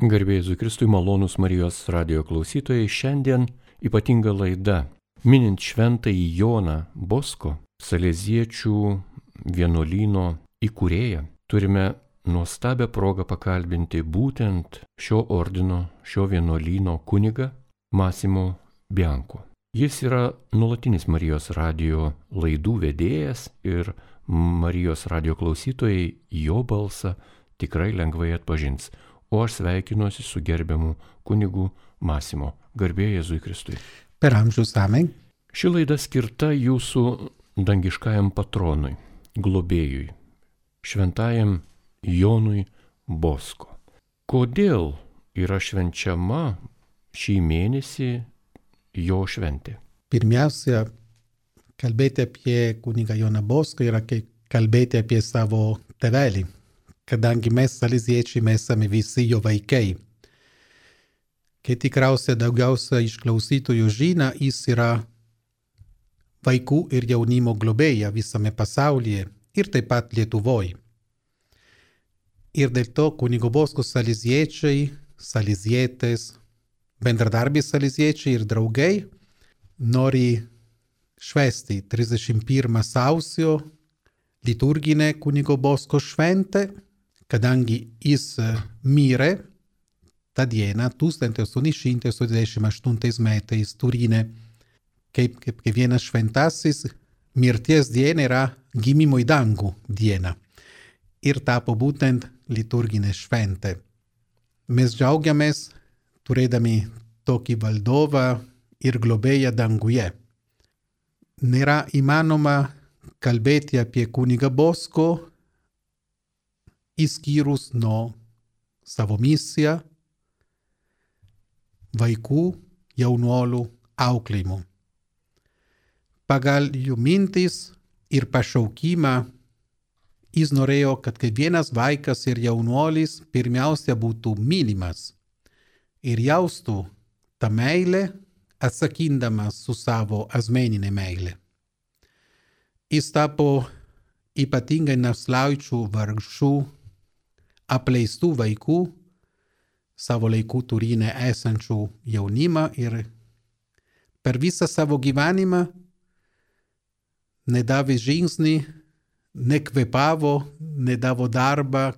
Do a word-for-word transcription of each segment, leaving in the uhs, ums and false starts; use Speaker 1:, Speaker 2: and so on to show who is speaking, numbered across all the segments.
Speaker 1: Garbė Jėzui Kristui, malonūs Marijos radijo klausytojai, šiandien ypatinga laida. Minint šventąjį Joną Bosko, Saleziečių vienuolyno įkūrėją, turime nuostabią progą pakalbinti būtent šio ordino, šio vienuolyno kunigą Massimo Bianco. Jis yra nuolatinis Marijos radijo laidų vedėjas ir Marijos radijo klausytojai jo balsą tikrai lengvai atpažins. O aš sveikinuosi su gerbiamu kunigu Massimo. Garbė Jėzui Kristui.
Speaker 2: Per amžius amen.
Speaker 1: Ši laida skirta jūsų dangiškajam patronui, globėjui, šventajam Jonui Bosko. Kodėl yra švenčiama šį mėnesį jo šventė?
Speaker 2: Pirmiausia, kalbėti apie kunigą Joną Boską yra kalbėti apie savo tėvelį, kadangi mes saleziečiai mes esame visi jo vaikai. Kai tikriausiai daugiausia iš klausytojų žino, jis yra vaikų ir jaunimo globėja visame pasaulyje ir taip pat Lietuvoje. Ir dėl to kunigo Bosko saleziečiai, salezietės, bendradarbiai saleziečiai ir draugai nori švęsti trisdešimt pirmą sausio liturginę kunigo Bosko šventę, kadangi jis mirė tą dieną tūkstantis aštuoni šimtai aštuoniasdešimt aštuntais metais Turine, kaip, kaip vienas šventasis mirties diena yra gimimo į dangų diena ir tapo būtent liturginė šventė. Mes džiaugiamės turėdami tokį valdovą ir globėją danguje. Nėra įmanoma kalbėti apie kunigą Bosko išskyrus nuo savo misiją vaikų jaunuolių auklėjimo. Pagal jų mintis ir pašaukimą jis norėjo, kad kiekvienas vaikas ir jaunuolis pirmiausia būtų mylimas ir jaustų tą meilę atsakindamas su savo asmeninė meilė. Jis tapo ypatingai našlaičių, vargšų, apleistų vaikų, savo laikų Turine esančių jaunimą ir per visą savo gyvenimą nedavė žingsnį, nekvėpavo, nedavo darbą,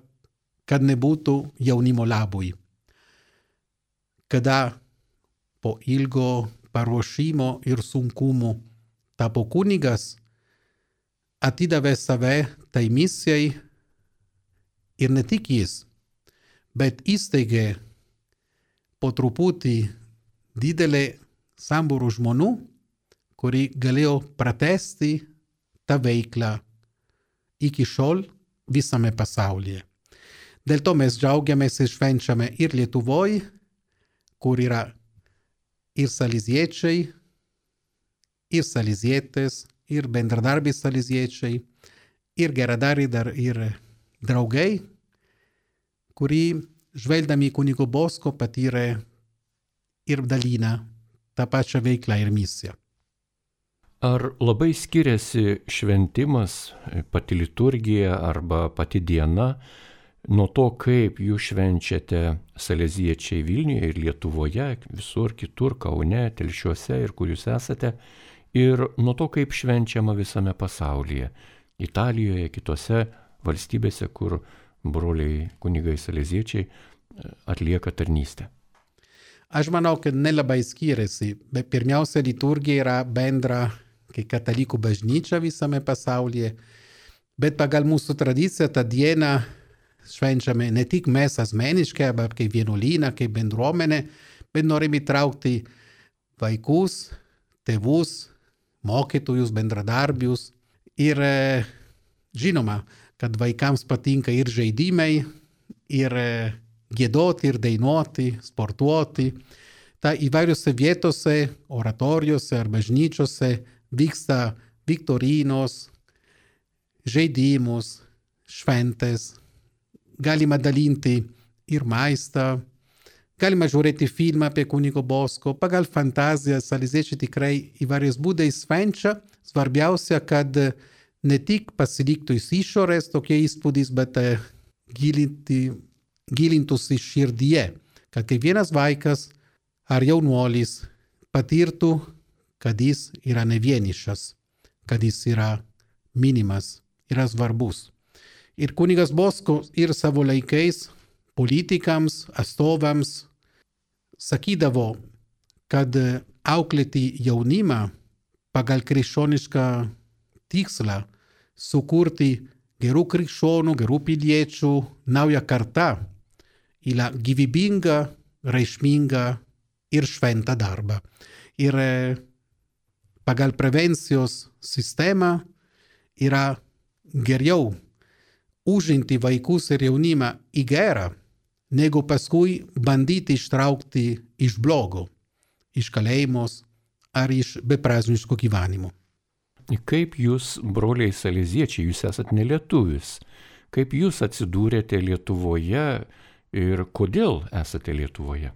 Speaker 2: kad nebūtų jaunimo labui. Kada po ilgo paruošimo ir sunkumų tapo kunigas, atidavė save tai misijai ir ne tik jis, bet įsteigė po truputį didelį sambūrų žmonių, kuri galėjo pratęsti tą veiklą iki šiol visame pasaulyje. Dėl to mes džiaugiamės ir švenčiame ir Lietuvoje, kur yra ir saleziečiai, ir salezietės, ir bendradarbiai saleziečiai, ir geradariai dar ir draugai, kurį žvelgdami kunigo Bosko patyrė ir dalina tą pačią veiklą ir misiją.
Speaker 1: Ar labai skiriasi šventimas, pati liturgija arba pati diena nuo to, kaip jūs švenčiate saleziečiai Vilniuje ir Lietuvoje, visur kitur, Kaune, Telšiuose ir kur jūs esate, ir nuo to, kaip švenčiama visame pasaulyje, Italijoje, kitose valstybėse, kur broliai kunigai saleziečiai atlieka tarnystę?
Speaker 2: Aš manau, kad nelabai skiriasi, bet pirmiausia liturgija yra bendra kaip katalikų bažnyčia visame pasaulyje, bet pagal mūsų tradiciją tą dieną švenčiame ne tik mes asmeniškai, bet kaip vienuolyną, kaip bendruomenė, bet norime įtraukti vaikus, tėvus, mokytojus, bendradarbius ir žinoma, kad vaikams patinka ir žaidimai, ir giedoti, ir dainuoti, sportuoti. Ta įvairiose vietose, oratorijose ar bažnyčiose vyksta viktorinos, žaidimus, šventės. Galima dalinti ir maistą, galima žiūrėti filmą apie kunigo Bosko. Pagal fantaziją saleziečiai tikrai įvairiais būdais švenčia. Svarbiausia, kad ne tik pasiliktų iš išorės tokie įspūdis, bet gilinti, gilintųsi širdyje kad kiekvienas vaikas ar jaunuolis patirtų, kad jis yra ne vienišas, kad jis yra minimas, yra svarbus. Ir kunigas Bosko ir savo laikais politikams, atstovams sakydavo, kad auklėti jaunimą pagal krikščionišką tikslą sukurti gerų krikščionių, gerų piliečių naują kartą yra gyvybinga, reikšminga ir šventą darbą. Ir pagal prevencijos sistemą yra geriau užimti vaikus ir jaunimą į gerą, negu paskui bandyti ištraukti iš blogo, iš kalėjimos ar iš beprasmiško gyvenimo.
Speaker 1: Kaip jūs, broliai saleziečiai, jūs esat nelietuvis, kaip jūs atsidūrėte Lietuvoje ir kodėl esate Lietuvoje?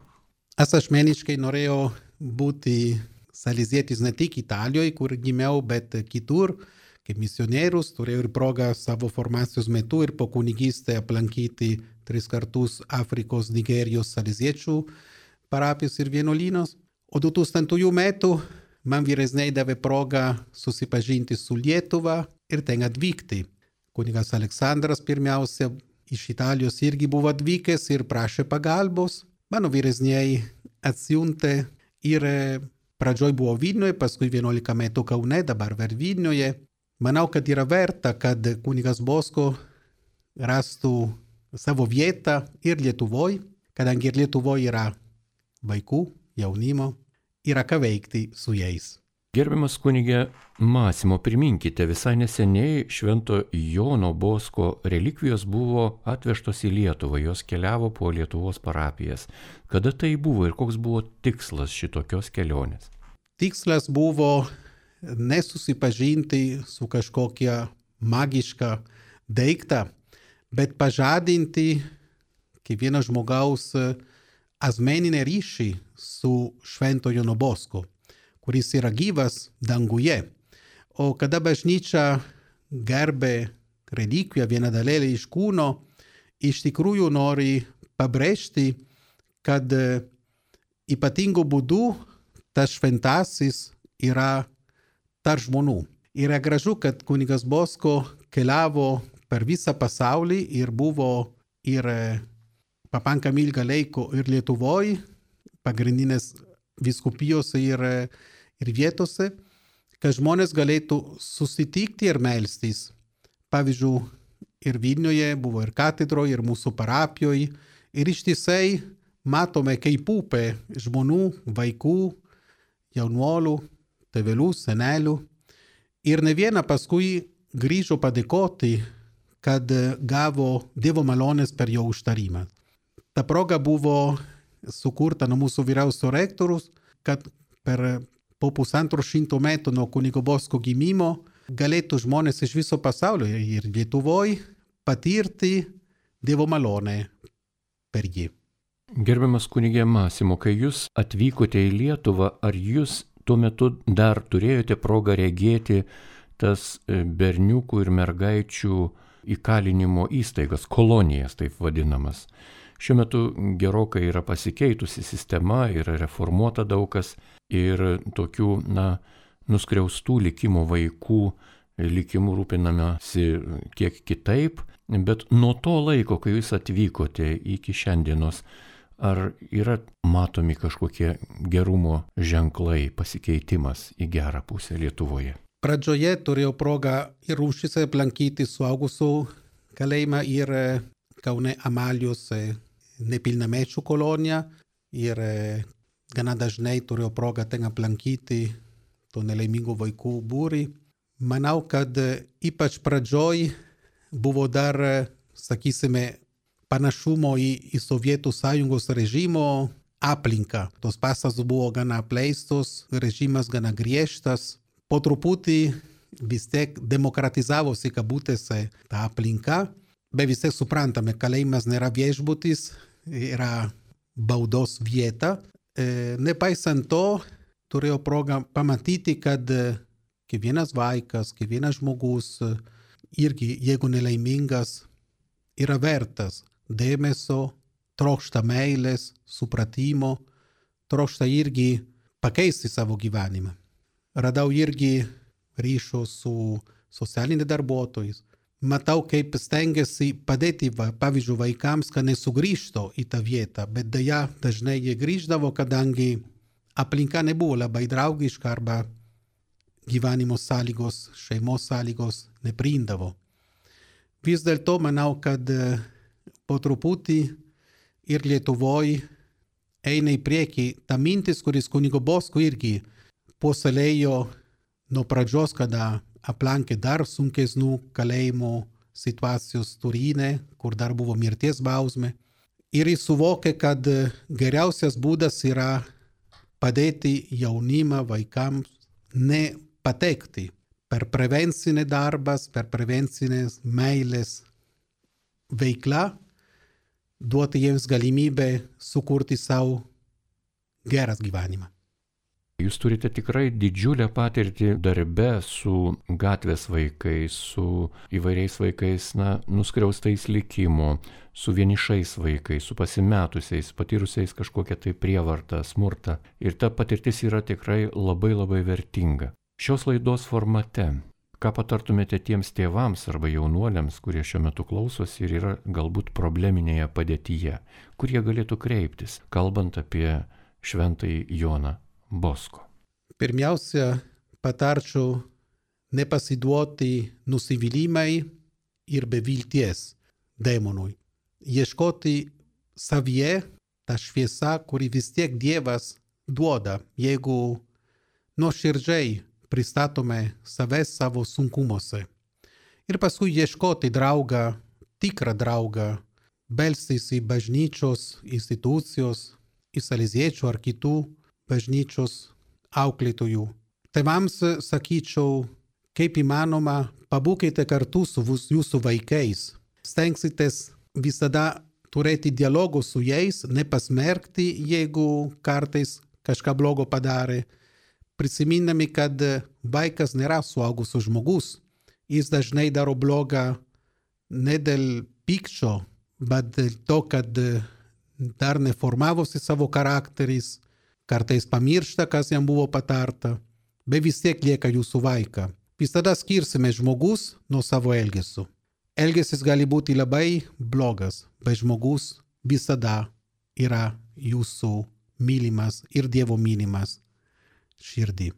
Speaker 2: Aš asmeniškai norėjau būti salezietis ne tik Italijoje, kur gimiau, bet kitur, kaip misionierius. Turėjau ir progą savo formacijos metu ir po kunigystę aplankyti tris kartus Afrikos, Nigerijos saleziečių parapijos ir vienuolynos. O du tūkstantųjų metų man vyresniai davė progą susipažinti su Lietuva ir ten atvykti. Kunigas Aleksandras pirmiausia iš Italijos irgi buvo atvykęs ir prašė pagalbos. Mano vyresniai atsiuntė ir pradžioj buvo Vilniuje, paskui vienuolika metų Kaune, dabar ver Vilniuje. Manau, kad yra verta, kad kunigas Bosko rastų savo vietą ir Lietuvoje, kadangi ir Lietuvoje yra vaikų, jaunimo, yra ką veikti su jais.
Speaker 1: Gerbiamas kunige Masimo, priminkite, visai neseniai Švento Jono Bosko relikvijos buvo atvežtos į Lietuvą, jos keliavo po Lietuvos parapijas. Kada tai buvo ir koks buvo tikslas šitokios kelionės?
Speaker 2: Tikslas buvo nesusipažinti su kažkokia magiška daikta, bet pažadinti kiekvieno žmogaus asmeninį ryšį su Švento Jono Bosko, kuris yra gyvas danguje. O kada bažnyčia gerbė relikviją, vieną dalelę iš kūno, iš tikrųjų nori pabrėžti, kad ypatingu būdu tas šventasis yra tarp žmonių. Yra gražu, kad kunigas Bosko keliavo per visą pasaulį ir buvo ir pakankamai ilgą laiko ir Lietuvoje, pagrindinės vyskupijose ir, ir vietose, kad žmonės galėtų susitikti ir melstis. Pavyzdžiui, ir Vilniuje buvo ir katedroje, ir mūsų parapijoje. Ir ištisai matome, kaip upė žmonių, vaikų, jaunuolių, tėvelių, senelių. Ir ne viena paskui grįžo padėkoti, kad gavo Dievo malonės per jo užtarimą. Ta proga buvo sukurta nuo mūsų vyriausio rektorius, kad per po pusantro šimto metų nuo kunigo Bosko gimimo galėtų žmonės iš viso pasaulio ir Lietuvoje patirti Dievo malonę per jį.
Speaker 1: Gerbiamas kunige Masimo, kai jūs atvykote į Lietuvą, ar jūs tuo metu dar turėjote progą regėti tas berniukų ir mergaičių įkalinimo įstaigas, kolonijas taip vadinamas? Šiuo metu gerokai yra pasikeitusi sistema, yra reformuota daug kas ir tokių, na, nuskriaustų likimo vaikų likimų rūpinamasi kiek kitaip, bet nuo to laiko, kai jūs atvykote iki šiandienos, ar yra matomi kažkokie gerumo ženklai, pasikeitimas į gerą pusę Lietuvoje?
Speaker 2: Pradžioje turėjau progą ir Rūšyse aplankyti suaugusių kalėjimą ir Kaune Amalijos nepilnamečių koloniją ir gana dažnai turėjau progą ten aplankyti to nelaimingų vaikų būrį. Manau, kad ypač pradžioj buvo dar, sakysime, panašumo į, į Sovietų sąjungos režimo aplinką. Tos pastatos buvo gana apleistos, režimas gana griežtas. Po truputį vis tiek demokratizavosi kabutėse ta aplinka, bet vis tiek suprantame, kalėjimas nėra viešbutis, yra baudos vieta. E, nepaisant to, turėjau progą pamatyti, kad kiekvienas vaikas, kiekvienas žmogus, irgi jeigu nelaimingas, yra vertas dėmesio, trokšta meilės, supratimo, trokšta irgi pakeisti savo gyvenimą. Radau irgi ryšio su socialiniais darbuotojais. Matau, kaip stengiasi padėti, va, pavyzdžiui, vaikams, kad nesugrįžtų į tą vietą, bet deja dažnai jie grįždavo, kadangi aplinka nebuvo labai draugiška arba gyvenimo sąlygos, šeimos sąlygos nepriimdavo. Vis dėlto manau, kad po truputį ir Lietuvoje eina į priekį ta mintis, kuris kunigo Bosko irgi puoselėjo nuo pradžios, kada aplankė dar sunkesnių kalėjimo situacijos Turine, kur dar buvo mirties bausmė. Ir jis suvokė, kad geriausias būdas yra padėti jaunimą vaikams nepatekti per prevencinį darbas, per prevencinės meilės veiklą, duoti jiems galimybę sukurti savo geras gyvenimą.
Speaker 1: Jūs turite tikrai didžiulę patirtį darbe su gatvės vaikais, su įvairiais vaikais, na, nuskriaustais likimo, su vienišais vaikais, su pasimetusiais, patyrusiais kažkokią tai prievartą, smurtą. Ir ta patirtis yra tikrai labai labai vertinga. Šios laidos formate, ką patartumėte tiems tėvams arba jaunuoliams, kurie šiuo metu klausosi ir yra galbūt probleminėje padėtyje, kur jie galėtų kreiptis, kalbant apie šventąjį Joną Bosko?
Speaker 2: Pirmiausia, patarčiau nepasiduoti nusivylimai ir bevilties demonui. Ieškoti savyje tą šviesą, kuri vis tiek Dievas duoda, jeigu nuoširdžiai pristatome save savo sunkumuose. Ir paskui ieškoti draugą, tikrą draugą, belstis į bažnyčios institucijos, į saleziečių ar kitų bažnyčios auklėtojų. Tėvams sakyčiau, kaip įmanoma, pabūkite kartu su jūsų vaikais. Stengsitės visada turėti dialogų su jais, nepasmerkti, jeigu kartais kažką blogo padarė. Prisimindami, kad vaikas nėra suaugusio žmogus. Jis dažnai daro blogą ne dėl pykčio, bet dėl to, kad dar neformavosi savo charakteris, kartais pamiršta, kas jam buvo patarta, bet vis tiek lieka jūsų vaiką. Visada skirsime žmogus nuo savo elgesio. Elgesis gali būti labai blogas, bet žmogus visada yra jūsų mylimas ir Dievo mylimas širdį.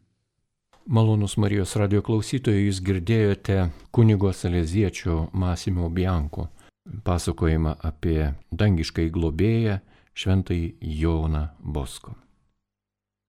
Speaker 1: Malonus Marijos radijo klausytojai, jūs girdėjote kunigo saleziečio Masimo Bianco pasakojimą apie dangiškąjį globėją šventąjį Joną Bosko.